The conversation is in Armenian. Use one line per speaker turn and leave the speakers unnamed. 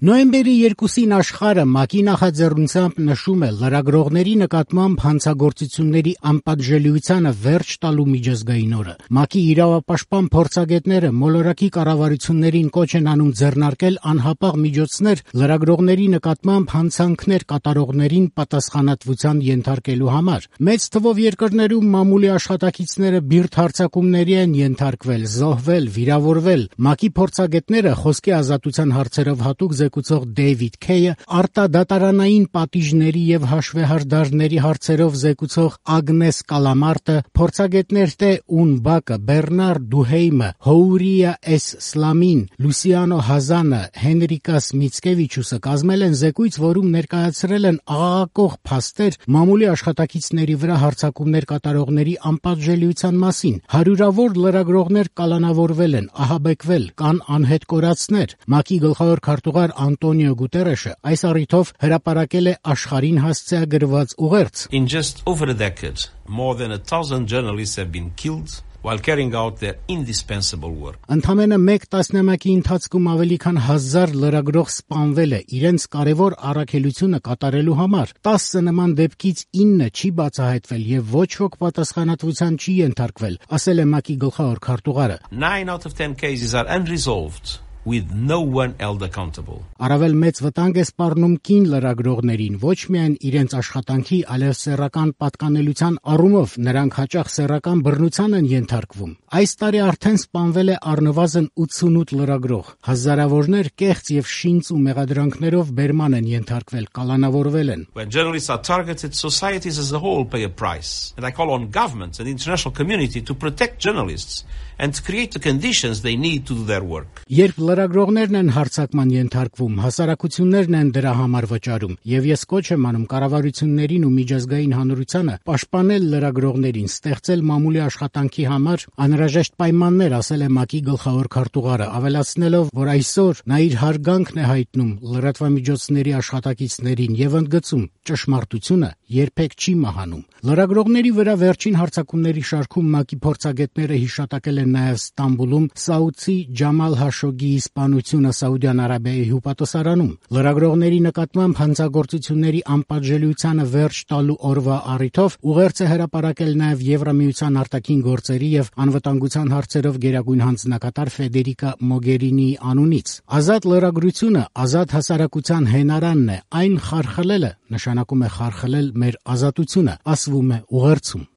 Նոյեմբերի 2-ին աշխարհը ՄԱԿ-ի նախաձեռնությամբ նշում է լրագրողների նկատմամբ հանցագործությունների անպատժելիությանը վերջ տալու միջազգային օրը։ ՄԱԿ-ի իրավապաշտպան փորձագետները մոլորակի կառավարություններին կոչ են անում ձեռնարկել անհապաղ միջոցներ լրագրողների նկատմամբ հանցանքներ կատարողներին պատասխանատվության ենթարկելու համար։ Մեծ թվով երկրներում մամուլի աշխատակիցները բիրտ հարձակումների են ենթարկվել, զոհվել, վիրավորվել։ ՄԱԿ-ի փորձագետները խոսքի ազատության հարցերով հատուկ զեկուցող Դեյվիդ Քեյը, արտադատարանային պատիժների եւ հաշվեհարդարների հարցերով զեկուցող Ագնես Կալամարտը, փորձագետներ Տե Ունբակը, Բեռնար Դուհեյմը, Հոուրիա Էս Սլամին, Լուսիանո Հազանը, Հենրիկաս Միցկևիչուսը կազմել են զեկույց, որում ներկայացրել են աղաղակող փաստեր մամուլի աշխատակիցների վրա հարձակումներ կատարողների անպատժելիության մասին։ Հարյուրավոր լրագրողներ կալանավորվել են, ահաբեկվել, կան անհետ կորածներ։ ՄԱԿ-ի գլխավոր քարտուղար Անտոնիո Գուտերեշը այս առիթով հրապարակել է աշխարհին հասցեագրված ուղերձ.
In just over a decade, more than 1,000 journalists have been killed while carrying out their indispensable work.
Ընդամենը մեկ տասնամյակի ընթացքում ավելի քան 1000 լրագրող սպանվել է իրենց կարևոր առաքելությունը կատարելու համար։ 10 նման դեպքից 9 չի բացահայտվել եւ ոչ ոք պատասխանատվության չի ենթարկվել, ասել է ՄԱԿ-ի գլխավոր քարտուղարը։
9 out of 10 cases are unresolved, with no one held accountable.
Առավել մեծ վտանգ է սպառնում կին լրագրողներին, ոչ միայն իրենց աշխատանքի, այլև սեռական պատկանելության առումով, նրանք հաճախ սեռական բռնության են ենթարկվում։ Այս տարի արդեն սպանվել է առնվազն 88 լրագրող, հազարավորներ կեղծ եւ շինծ ու մեղադրանքներով բերման են ենթարկվել, կալանավորվել են։
When journalists are targeted, societies as a whole pay a price. And I call on governments and the international community to protect journalists and to create the conditions they need to do their work.
Երբ լրագրողներն են հարձակման ենթարկվում, հասարակություններն են դրա համար վճարում, եւ ես կոչ եմ անում կառավարություններին ու միջազգային հանրությանը պաշտպանել լրագրողներին, ստեղծել մամուլի աշխատանքի համար անհրաժեշտ պայմաններ, ասել է ՄԱԿ-ի գլխավոր քարտուղարը, ավելացնելով, որ այսօր նա իր հարգանքն է հայտնում լրատվամիջոցների աշխատակիցներին եւ ընդգծում, ճշմարտությունը երբեք չի մահանում։ Լրագրողների վրա վերջին հարձակումների շարքում ՄԱԿ-ի փորձագետները հիշատակել են նաեւ Ստամբուլում սաուդցի Ջամալ Հաշոգիի սպանությունը Սաուդյան Արաբիայի հյուպատոսարանում։ Լրագրողների նկատմամբ հանցագործությունների անպատժելիությանը վերջ տալու օրվա առիթով ուղերձ է հրապարակել նաեւ Եվրամիության արտաքին գործերի եւ անվտանգության հարցերով գերագույն հանձնակատար Ֆեդերիկա Մոգերինիի անունից։ Ազատ լրագրությունը ազատ հասարակության հենարանն է, այն խարխլելը նշանակում է խարխլել մեր ազատությունը, ասվում է ուղերձում։